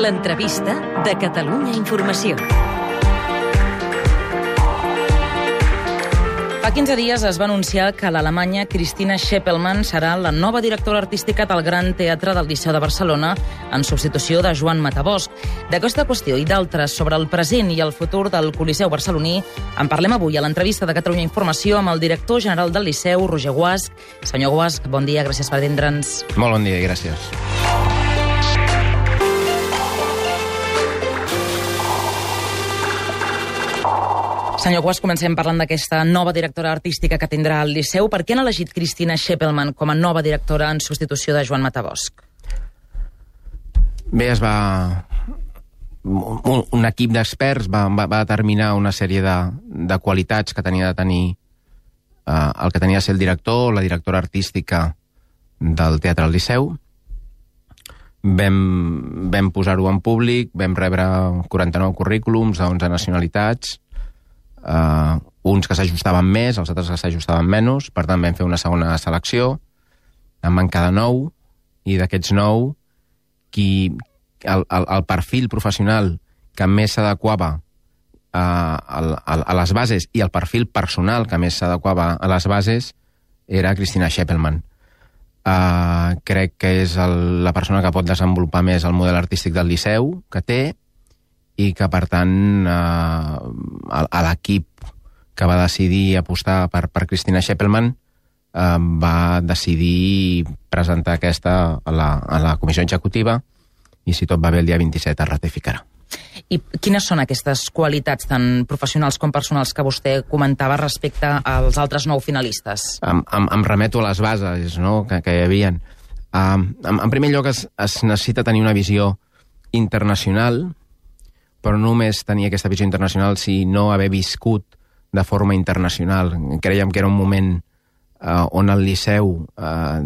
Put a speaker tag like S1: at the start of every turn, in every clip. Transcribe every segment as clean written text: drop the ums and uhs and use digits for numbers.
S1: L'entrevista de Catalunya Informació.
S2: Fa 15 dies es va anunciar que l'alemanya Christina Scheppelmann serà la nova directora artística del Gran Teatre del Liceu de Barcelona en substitució de Joan Matabosc. D'aquesta qüestió i d'altres sobre el present i el futur del Coliseu barceloní en parlem avui a l'entrevista de Catalunya Informació amb el director general del Liceu, Roger Guasch. Senyor Guasch, bon dia, gràcies per atendre'ns.
S3: Molt bon dia i gràcies.
S2: Senyor Guasch, comencem parlant d'aquesta nova directora artística que tindrà el Liceu. Per què han elegit Christina Scheppelmann com a nova directora en substitució de Joan Matabosc?
S3: Bé, un equip d'experts va determinar una sèrie de qualitats que tenia de tenir el que tenia de ser el director o la directora artística del Teatre del Liceu. Vam posar-ho en públic, vam rebre 49 currículums de 11 nacionalitats, uns que s'ajustaven més, els altres que s'ajustaven menys, per tant vam fer una segona selecció, en van quedar 9, i d'aquests 9, el perfil professional que més s'adequava a les bases i el perfil personal que més s'adequava a les bases era Christina Scheppelmann. Crec que és la persona que pot desenvolupar més el model artístic del Liceu que té, i que, per tant, a l'equip que va decidir apostar per Christina Scheppelmann va decidir presentar aquesta a la comissió executiva i, si tot va bé, el dia 27 es ratificarà.
S2: I quines són aquestes qualitats tan professionals com personals que vostè comentava respecte als altres 9 finalistes?
S3: Em remeto a les bases, no?, que hi havia. En primer lloc, es necessita tenir una visió internacional, però no només tenir aquesta visió internacional, sinó haver viscut de forma internacional. Creiem que era un moment on el Liceu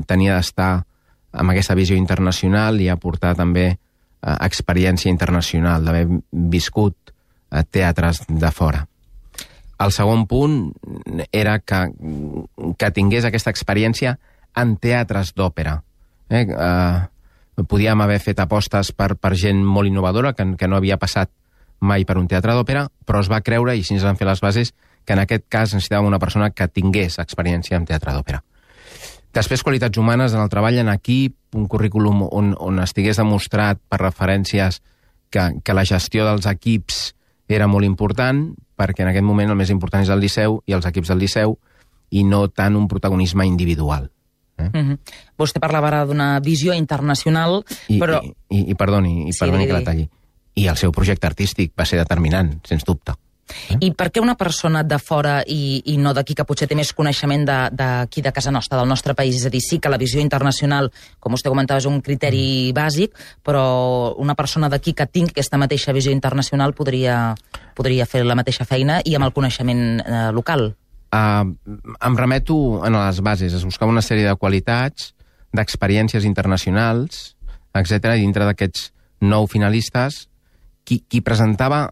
S3: tenia d'estar amb aquesta visió internacional i aportar també experiència internacional, d'haver viscut teatres de fora. El segon punt era que tingués aquesta experiència en teatres d'òpera. Podíem haver fet apostes per gent molt innovadora, que no havia passat mai per un teatre d'òpera, però es va creure, i així ens van fer les bases, que en aquest cas necessitàvem una persona que tingués experiència en teatre d'òpera. Després, qualitats humanes en el treball en equip, un currículum on estigués demostrat per referències que la gestió dels equips era molt important, perquè en aquest moment el més important és el Liceu i els equips del Liceu, i no tant un protagonisme individual.
S2: Vostè parlava ara d'una visió internacional, però...
S3: Perdoni que la talli. I el seu projecte artístic va ser determinant, sens dubte.
S2: I per què una persona de fora i no d'aquí, que potser té més coneixement d'aquí de casa nostra, del nostre país? És a dir, sí que la visió internacional, com vostè comentava, és un criteri bàsic, però una persona d'aquí que tingui aquesta mateixa visió internacional podria fer la mateixa feina i amb el coneixement local.
S3: Em remeto a les bases. Es buscava una sèrie de qualitats, d'experiències internacionals, etc. I dintre d'aquests 9 finalistes, qui presentava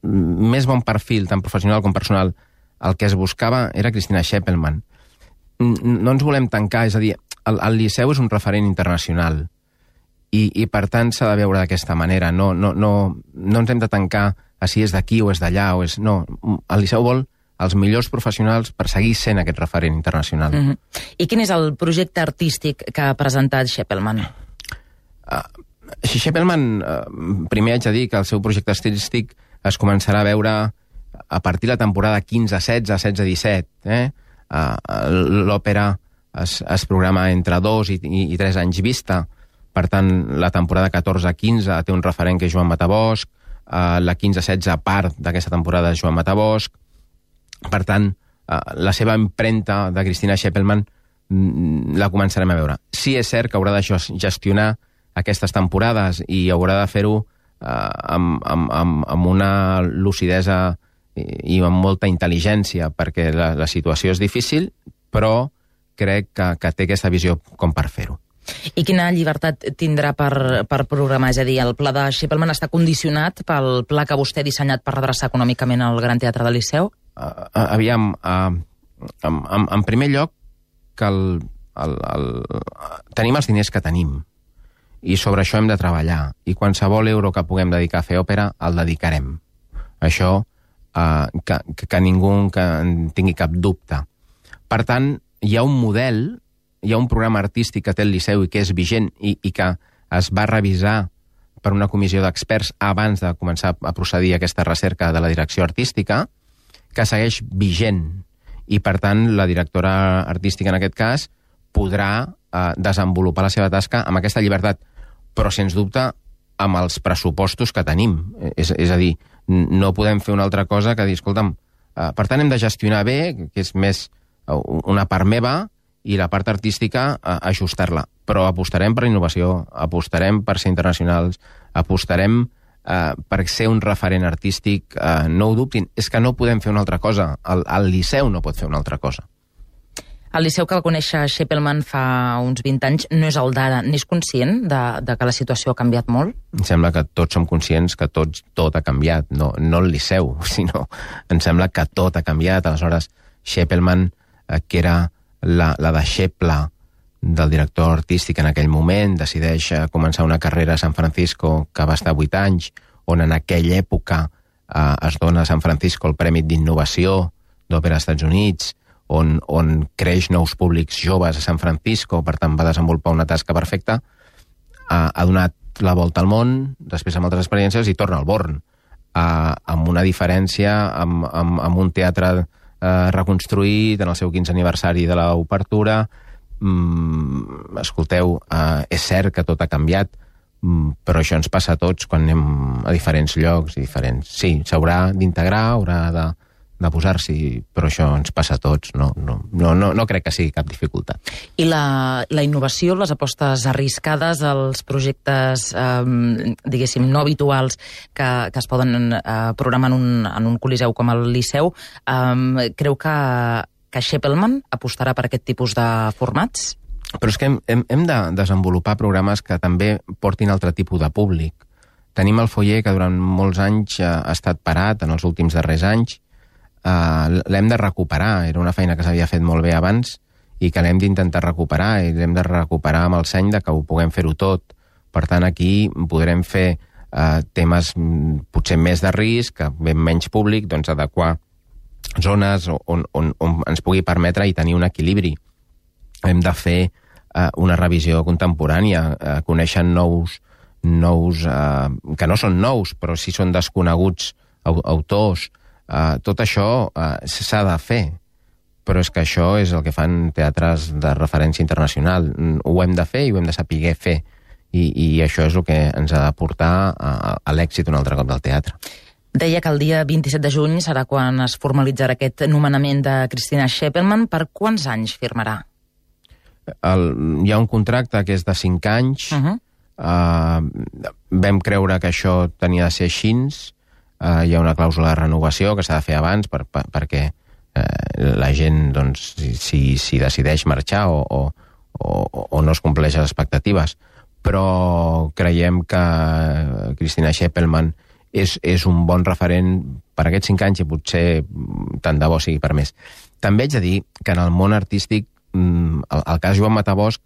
S3: més bon perfil, tant professional com personal, el que es buscava era Christina Scheppelmann. No ens volem tancar, és a dir, el Liceu és un referent internacional i per tant s'ha de veure d'aquesta manera. No ens hem de tancar a si és d'aquí o és d'allà. No, el Liceu vol els millors professionals per seguir sent aquest referent internacional.
S2: I quin és el projecte artístic que ha presentat Scheppelmann?
S3: Scheppelmann, primer haig de dir que el seu projecte artístic es començarà a veure a partir de la temporada 15-16, 16-17. L'òpera es programa entre 2 i 3 anys vista. Per tant, la temporada 14-15 té un referent que és Joan Matabosc, la 15-16 part d'aquesta temporada és Joan Matabosc. Per tant, la seva empremta de Christina Scheppelmann la començarem a veure. Sí, és cert que haurà de gestionar aquestes temporades i haurà de fer-ho amb una lucidesa i amb molta intel·ligència, perquè la situació és difícil, però crec que té aquesta visió com per fer-ho.
S2: I quina llibertat tindrà per programar? És a dir, el pla de Scheppelmann està condicionat pel pla que vostè ha dissenyat per redreçar econòmicament el Gran Teatre del Liceu?
S3: Aviam, en primer lloc, que tenim els diners que tenim i sobre això hem de treballar. I qualsevol euro que puguem dedicar a fer òpera, el dedicarem. Això, que ningú en tingui cap dubte. Per tant, hi ha un model, hi ha un programa artístic que té el Liceu i que és vigent i que es va revisar per una comissió d'experts abans de començar a procedir a aquesta recerca de la direcció artística, que segueix vigent. I, per tant, la directora artística, en aquest cas, podrà desenvolupar la seva tasca amb aquesta llibertat, però, sens dubte, amb els pressupostos que tenim. És a dir, no podem fer una altra cosa que dir, escolta'm, per tant, hem de gestionar bé, que és més una part meva, i la part artística ajustar-la. Però apostarem per innovació, apostarem per ser internacionals, apostarem per ser un referent artístic, no ho dubtin. És que no podem fer una altra cosa. El Liceu no pot fer una altra cosa.
S2: El Liceu que el conèixer Scheppelmann fa uns 20 anys no és el d'ara. N'és conscient de que la situació ha canviat molt?
S3: Em sembla que tots som conscients que tot ha canviat. No el Liceu, sinó em sembla que tot ha canviat. Aleshores, Scheppelmann, que era la deixeble del director artístic en aquell moment, decideix començar una carrera a San Francisco que va estar 8 anys, on en aquella època es dona a San Francisco el Premi d'Innovació d'Òpera als Estats Units, on creix nous públics joves a San Francisco, per tant va desenvolupar una tasca perfecta, ha donat la volta al món, després amb altres experiències, i torna al Born, amb una diferència, amb un teatre reconstruït en el seu 15è aniversari de l'obertura. Escolteu, és cert que tot ha canviat, però això ens passa a tots quan anem a diferents llocs, diferents. Sí, s'haurà d'integrar, haurà de posar-s'hi, però això ens passa a tots, no crec que sigui cap dificultat.
S2: I la innovació, les apostes arriscades, els projectes, diguéssim, no habituals que es poden programar en un coliseu com el Liceu, creu que Scheppelmann apostarà per aquest tipus de formats?
S3: Però és que hem de desenvolupar programes que també portin altre tipus de públic. Tenim el Foyer, que durant molts anys ha estat parat, en els últims darrers anys. L'hem de recuperar. Era una feina que s'havia fet molt bé abans i que l'hem d'intentar recuperar, i l'hem de recuperar amb el seny de que ho puguem fer-ho tot. Per tant, aquí podrem fer temes potser més de risc, ben menys públic, doncs adequar zones on ens pugui permetre i tenir un equilibri. Hem de fer una revisió contemporània, coneixen nous que no són nous, però sí són desconeguts autors. Tot això s'ha de fer, però és que això és el que fan teatres de referència internacional. Ho hem de fer i ho hem de saber fer, i això és el que ens ha de portar a l'èxit un altre cop del teatre.
S2: Deia que el dia 27 de juny serà quan es formalitzarà aquest nomenament de Christina Scheppelmann. Per quants anys firmarà?
S3: Hi ha un contracte que és de 5 anys. Vam creure que això tenia de ser així. Hi ha una clàusula de renovació que s'ha de fer abans perquè la gent, doncs, si decideix marxar o no es compleix les expectatives. Però creiem que Christina Scheppelmann és un bon referent per aquests 5 anys, i potser tant de bo sigui per més. També haig de dir que en el món artístic, el cas Joan Matabosc,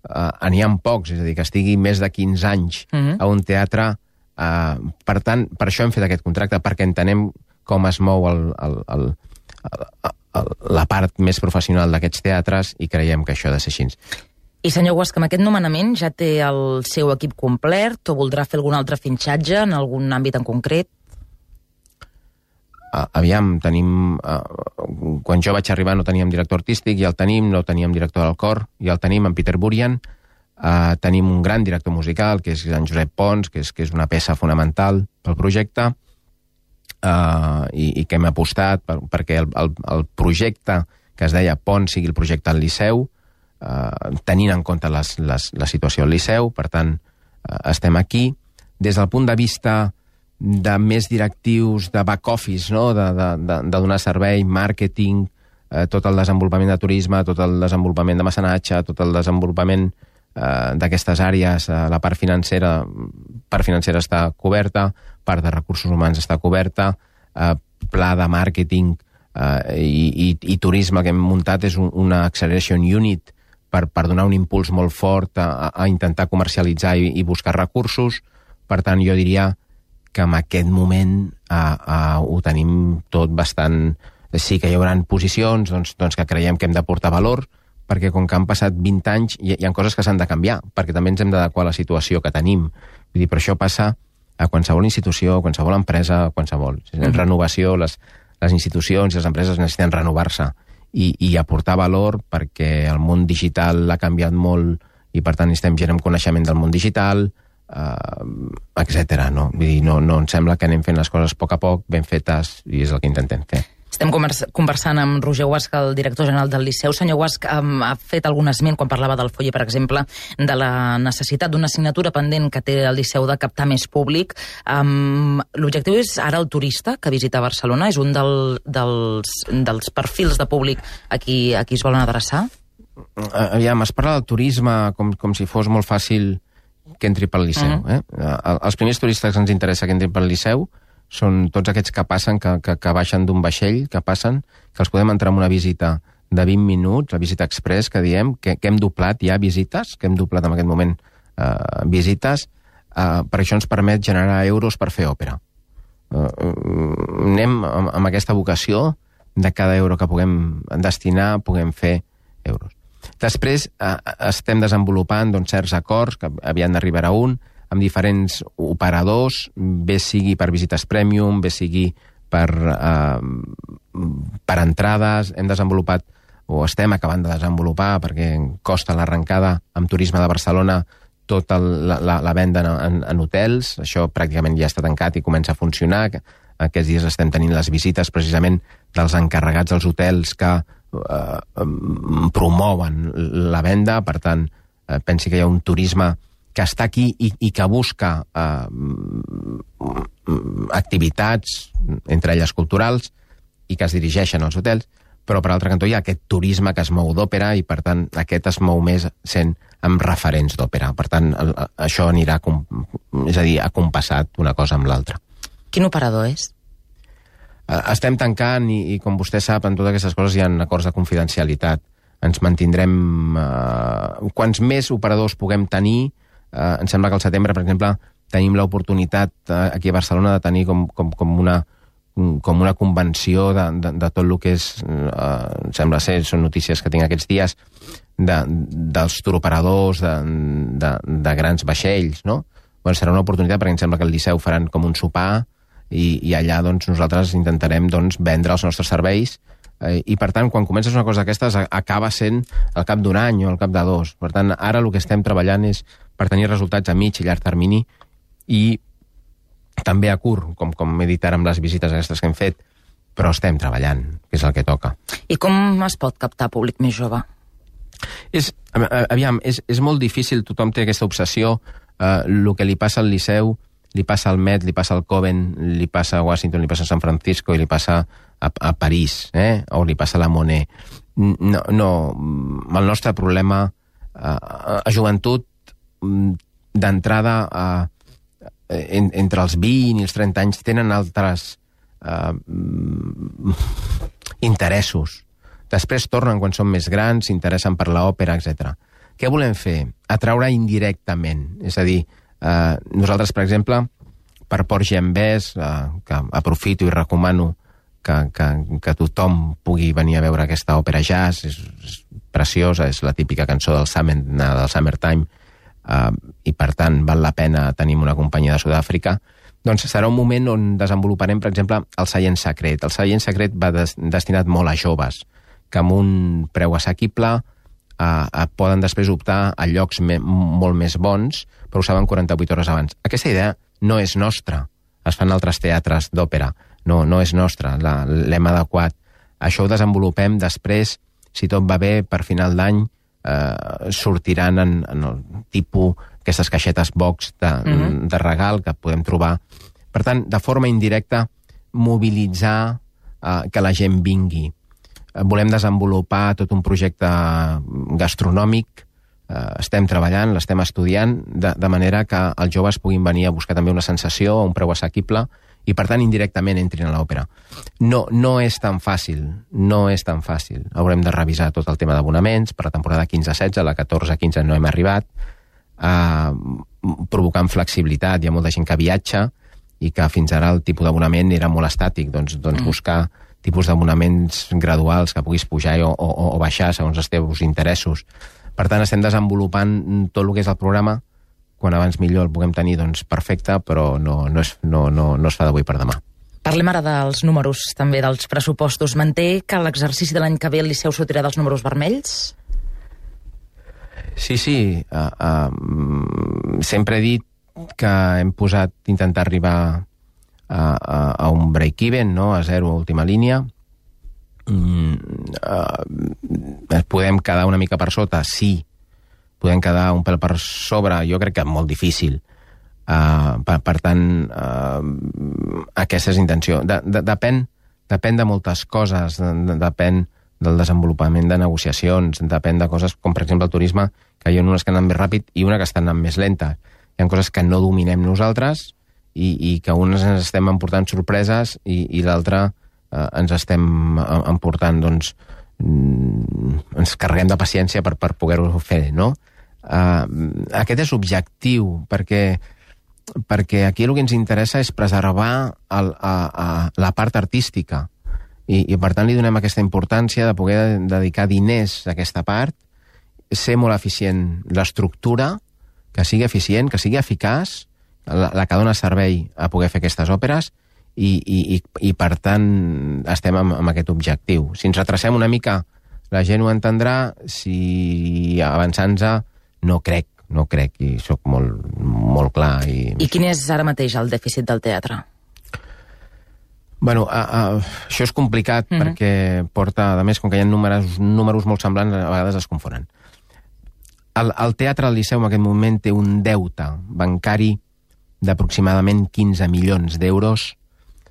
S3: n'hi ha pocs, és a dir, que estigui més de 15 anys a un teatre. Per tant, per això hem fet aquest contracte, perquè entenem com es mou la part més professional d'aquests teatres, i creiem que això ha de ser així.
S2: I senyor Guasca, amb aquest nomenament ja té el seu equip complet o voldrà fer algun altre finxatge en algun àmbit en concret?
S3: Aviam, tenim... Quan jo vaig arribar no teníem director artístic, ja el tenim, no teníem director del cor, ja el tenim, en Peter Burian. Tenim un gran director musical, que és en Josep Pons, que és una peça fonamental pel projecte, i que hem apostat perquè el projecte que es deia Pons sigui el projecte al Liceu, tenint en compte la situació al Liceu. Per tant, estem aquí. Des del punt de vista de més directius, de back office, no? de donar servei, màrqueting, tot el desenvolupament de turisme, tot el desenvolupament de mecenatge, tot el desenvolupament d'aquestes àrees, la part financera està coberta, part de recursos humans està coberta, pla de màrqueting i turisme que hem muntat és una acceleration unit per donar un impuls molt fort a intentar comercialitzar i buscar recursos. Per tant, jo diria que en aquest moment ho tenim tot bastant... Sí que hi haurà posicions doncs que creiem que hem d'aportar valor, perquè com que han passat 20 anys hi ha coses que s'han de canviar, perquè també ens hem d'adequar a la situació que tenim. Vull dir, per això passa a qualsevol institució, a qualsevol empresa, a qualsevol. Renovació, les institucions i les empreses necessiten renovar-se i aportar valor, perquè el món digital ha canviat molt i per tant necessitem gent amb coneixement del món digital, etc. No? Vull dir, no em sembla que anem fent les coses a poc, ben fetes, i és el que intentem fer.
S2: Estem conversant amb Roger Guasch, el director general del Liceu. Senyor Guasch, ha fet algun esment, quan parlava del Foller, per exemple, de la necessitat d'una assignatura pendent que té el Liceu de captar més públic. L'objectiu és ara el turista que visita Barcelona? És un dels perfils de públic a qui es volen adreçar?
S3: Aviam, es parla del turisme com si fos molt fàcil que entri pel Liceu. Els primers turistes que ens interessa que entrin pel Liceu són tots aquests que passen, que baixen d'un vaixell, que passen, que els podem entrar en una visita de 20 minuts, la visita express, que diem, que hem doblat ja visites, que hem doblat en aquest moment visites, per això ens permet generar euros per fer òpera. Anem amb aquesta vocació de cada euro que puguem destinar, puguem fer euros. Després estem desenvolupant certs acords, que aviat n'arribarà un, amb diferents operadors, bé sigui per visites premium, bé sigui per entrades. Hem desenvolupat, o estem acabant de desenvolupar, perquè costa l'arrencada amb Turisme de Barcelona, tota la venda en hotels. Això pràcticament ja està tancat i comença a funcionar. Aquests dies estem tenint les visites precisament dels encarregats dels hotels que promouen la venda. Per tant, pensi que hi ha un turisme que està aquí i que busca activitats, entre elles culturals, i que es dirigeixen als hotels, però per altre cantó hi ha aquest turisme que es mou d'òpera i per tant aquest es mou més sent amb referents d'òpera. Per tant, això anirà, és a dir, acompassat una cosa amb l'altra.
S2: Quin operador és?
S3: Estem tancant i com vostè sap, en totes aquestes coses hi ha acords de confidencialitat. Ens mantindrem... Quants més operadors puguem tenir, em sembla que al setembre, per exemple, tenim l'oportunitat aquí a Barcelona de tenir com una convenció de tot el que és, sembla ser, són notícies que tinc aquests dies, dels turoperadors de grans vaixells, no? Bueno, serà una oportunitat perquè em sembla que el Liceu faran com un sopar i allà nosaltres intentarem vendre els nostres serveis i per tant, quan comences una cosa d'aquestes acaba sent al cap d'un any o al cap de 2. Per tant, ara el que estem treballant és per tenir resultats a mig i llarg termini i també a curt, com he dit ara amb les visites aquestes que hem fet, però estem treballant, que és el que toca.
S2: I com es pot captar públic més jove?
S3: És molt difícil, tothom té aquesta obsessió, el que li passa al Liceu, li passa al Met, li passa al Coven, li passa a Washington, li passa a San Francisco i li passa a París, o li passa a la Monet. No, el nostre problema a joventut d'entrada entre els 20 i els 30 anys tenen altres interessos. Després tornen quan són més grans, s'interessen per l'òpera, etc. Què volem fer? Atraure indirectament. És a dir, nosaltres, per exemple, per Port Genvès, que aprofito i recomano que tothom pugui venir a veure aquesta òpera jazz, és preciosa, és la típica cançó del Summertime, i per tant val la pena tenir una companyia de Sud-àfrica. Doncs serà un moment on desenvoluparem, per exemple, el Seient Secret. El Seient Secret va destinat molt a joves, que amb un preu assequible poden després optar a llocs molt més bons, però ho saben 48 hores abans. Aquesta idea no és nostra, es fan altres teatres d'òpera, no és nostra, l'hem adequat. Això ho desenvolupem després, si tot va bé, per final d'any sortiran en el tipus, aquestes caixetes box de regal que podem trobar. Per tant, de forma indirecta, mobilitzar que la gent vingui. Volem desenvolupar tot un projecte gastronòmic, estem treballant, l'estem estudiant, de manera que els joves puguin venir a buscar també una sensació a un preu assequible i per tant indirectament entrin a l'òpera. No és tan fàcil, Haurem de revisar tot el tema d'abonaments, per la temporada 15-16, la 14-15 no hem arribat, provocant flexibilitat, hi ha molta gent que viatja, i que fins ara el tipus d'abonament era molt estàtic, doncs buscar tipus d'abonaments graduals que puguis pujar o baixar segons els teus interessos. Per tant, estem desenvolupant tot el que és el programa, quan abans millor el puguem tenir, doncs perfecte, però no es fa d'avui per demà.
S2: Parlem ara dels números, també dels pressupostos. Manté que l'exercici de l'any que ve el Liceu sortirà dels números vermells?
S3: Sí. Sempre he dit que hem intentar arribar a un break-even, no? A zero, a última línia. Podem quedar una mica per sota? Sí. Podem quedar un pèl per sobre? Jo crec que molt difícil. Per tant, aquesta és intenció. Depèn de moltes coses, depèn del desenvolupament de negociacions, depèn de coses com, per exemple, el turisme, que hi ha unes que anen més ràpid i una que estan anant més lenta. Hi ha coses que no dominem nosaltres i que unes ens estem emportant sorpreses i l'altra ens estem emportant, doncs, ens carreguem de paciència per poder-ho fer, no? Aquest és l'objectiu, perquè aquí el que ens interessa és preservar la part artística i per tant li donem aquesta importància de poder dedicar diners a aquesta part, ser molt eficient l'estructura, que sigui eficient, que sigui eficaç, la que dona servei a poder fer aquestes òperes i per tant estem amb aquest objectiu. Si ens retracem una mica la gent ho entendrà, si avançant-se no crec, i sóc molt clar.
S2: I quin és ara mateix el dèficit del teatre?
S3: Bueno, això és complicat perquè porta, a més, com que hi ha números molt semblants, a vegades es confonen. El teatre del Liceu en aquest moment té un deute bancari d'aproximadament 15 milions d'euros,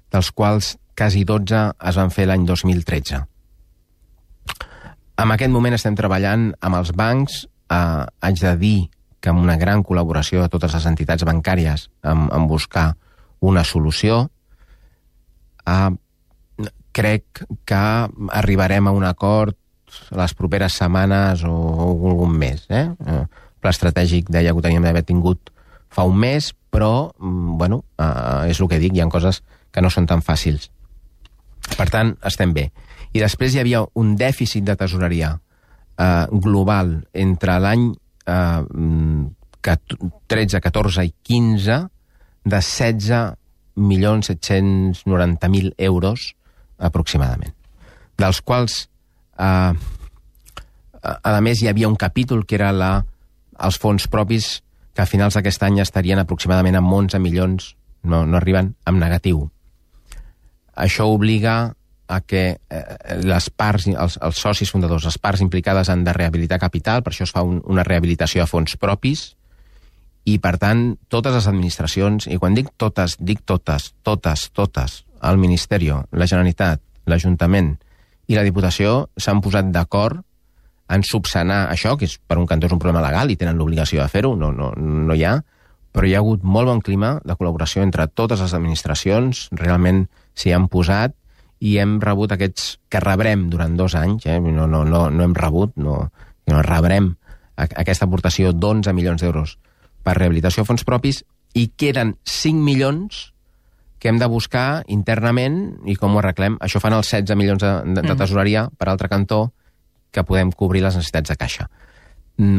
S3: dels quals quasi 12 es van fer l'any 2013. En aquest moment estem treballant amb els bancs, haig de dir que amb una gran col·laboració de totes les entitats bancàries en buscar una solució. Crec que arribarem a un acord les properes setmanes o algun mes. El pla estratègic deia que ho teníem d'haver tingut fa un mes, però, bueno, és el que dic, hi ha coses que no són tan fàcils. Per tant, estem bé. I després hi havia un dèficit de tesoreria global entre l'any 13, 14 i 15 de 16.790.000 euros aproximadament, dels quals a més hi havia un capítol que era els fons propis que a finals d'aquest any estarien aproximadament amb 11 milions, no arriben, amb negatiu. Això obliga a que les parts, els socis fundadors, les parts implicades han de rehabilitar capital, per això es fa una rehabilitació a fons propis, i per tant totes les administracions, i quan dic totes, el Ministeri, la Generalitat, l'Ajuntament i la Diputació s'han posat d'acord en subsanar això, que és, per un cantó és un problema legal i tenen l'obligació de fer-ho, no hi ha, però hi ha hagut molt bon clima de col·laboració entre totes les administracions, realment s'hi han posat i hem rebut aquests que rebrem durant 2 anys, no hem rebut, rebrem aquesta aportació d'11 milions d'euros per rehabilitació a fons propis i queden 5 milions que hem de buscar internament i com ho arreglem. Això fan els 16 milions de tesoreria, per altre cantó, que podem cobrir les necessitats de caixa.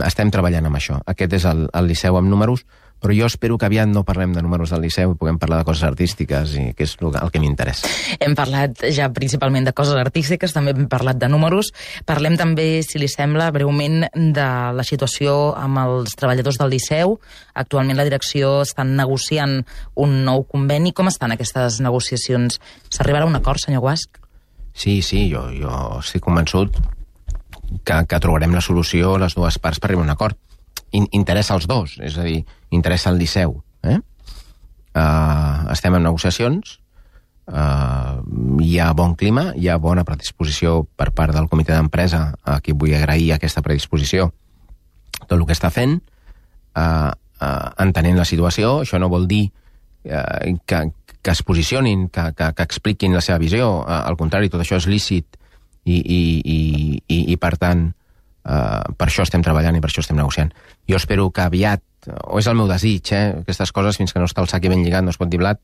S3: Estem treballant amb això. Aquest és el Liceu amb números, però jo espero que aviat no parlem de números del Liceu i puguem parlar de coses artístiques, i que és el que m'interessa.
S2: Hem parlat ja principalment de coses artístiques, també hem parlat de números. Parlem també, si li sembla, breument de la situació amb els treballadors del Liceu. Actualment la direcció està negociant un nou conveni. Com estan aquestes negociacions? S'arribarà a un acord, senyor Guasch?
S3: Sí, jo estic convençut que trobarem la solució a les dues parts per arribar a un acord. Interessa als dos, és a dir, interessa al Liceu. Estem en negociacions, hi ha bon clima, hi ha bona predisposició per part del comitè d'empresa, a qui vull agrair aquesta predisposició, tot el que està fent, entenent la situació. Això no vol dir que que es posicionin, que expliquin la seva visió. Al contrari, tot això és lícit i per tant, per això estem treballant i per això estem negociant. Jo espero que aviat, o és el meu desig, aquestes coses, fins que no està el sac ben lligat, no es pot dir blat,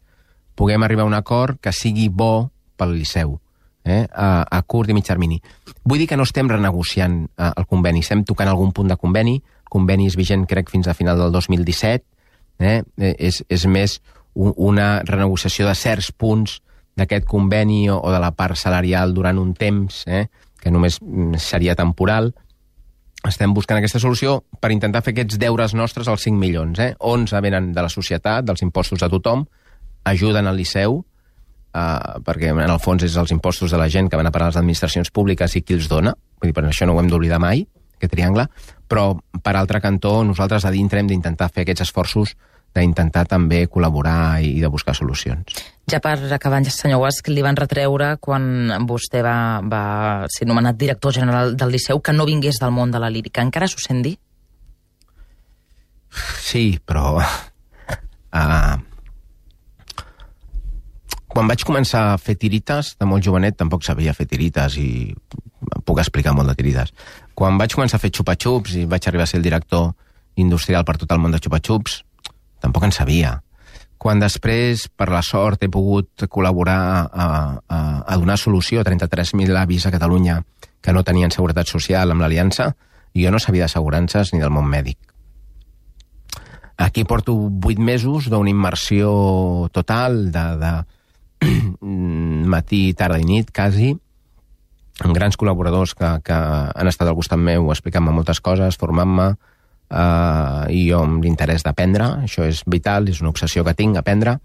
S3: puguem arribar a un acord que sigui bo pel Liceu, a curt i mig termini. Vull dir que no estem renegociant el conveni, estem tocant algun punt de conveni. El conveni és vigent, crec, fins a final del 2017. És més una renegociació de certs punts d'aquest conveni o de la part salarial durant un temps, que només seria temporal. Estem buscant aquesta solució per intentar fer aquests deures nostres als 5 milions. 11 venen de la societat, dels impostos de tothom, ajuden al Liceu, perquè en el fons és els impostos de la gent que van a parar a les administracions públiques i qui els dona. Vull dir, per això no ho hem d'oblidar mai, aquest triangle. Però, per altre cantó, nosaltres a dintre hem d'intentar fer aquests esforços d'intentar també col·laborar i de buscar solucions.
S2: Ja per acabar, senyor Guasch, li van retreure quan vostè va ser nomenat director general del Liceu que no vingués del món de la lírica. Encara s'ho sent dir?
S3: Sí, però... Quan vaig començar a fer tirites, de molt jovenet tampoc sabia fer tirites i puc explicar molt de tirites. Quan vaig començar a fer xupa-xups i vaig arribar a ser el director industrial per tot el món de xupa-xups, tampoc en sabia. Quan després, per la sort, he pogut col·laborar a donar solució a 33.000 avis a Catalunya que no tenien seguretat social amb l'Aliança, jo no sabia d'assegurances ni del món mèdic. Aquí porto 8 mesos d'una immersió total de matí, tarda i nit, quasi, amb grans col·laboradors que han estat al costat meu explicant-me moltes coses, formant-me, i jo amb l'interès d'aprendre. Això és vital, és una obsessió que tinc, aprendre,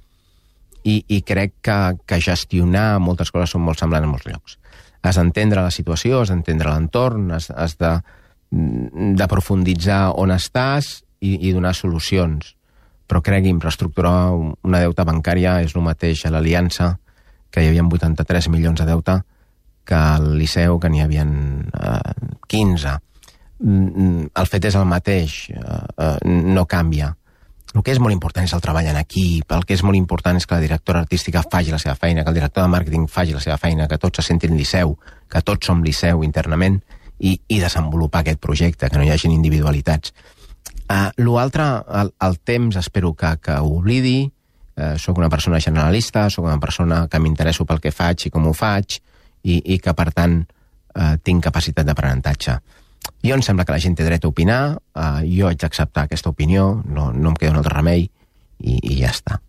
S3: i crec que gestionar moltes coses són molt semblants en molts llocs. Has d'entendre la situació, has d'entendre l'entorn, has de profunditzar on estàs i donar solucions. Però cregui'm, reestructurar una deuta bancària és el mateix a l'Aliança, que hi havia 83 milions de deute, que al Liceu, que n'hi havia 15. El fet és el mateix, no canvia. El que és molt important és el treball en equip, el que és molt important és que la directora artística faci la seva feina, que el director de màrqueting faci la seva feina, que tots se sentin Liceu, que tots som Liceu internament, i desenvolupar aquest projecte, que no hi hagin individualitats. L'altre, el temps, espero que ho oblidi. Soc una persona generalista, soc una persona que m'interesso pel que faig i com ho faig, i que, per tant, tinc capacitat d'aprenentatge. Jo em sembla que la gent té dret a opinar, jo haig d'acceptar aquesta opinió, no em queda un altre remei, i ja està.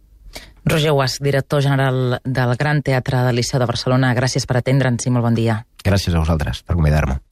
S2: Roger Guasch, director general del Gran Teatre del Liceu de Barcelona, gràcies per atendre'ns i molt bon dia.
S3: Gràcies a vosaltres per convidar-me.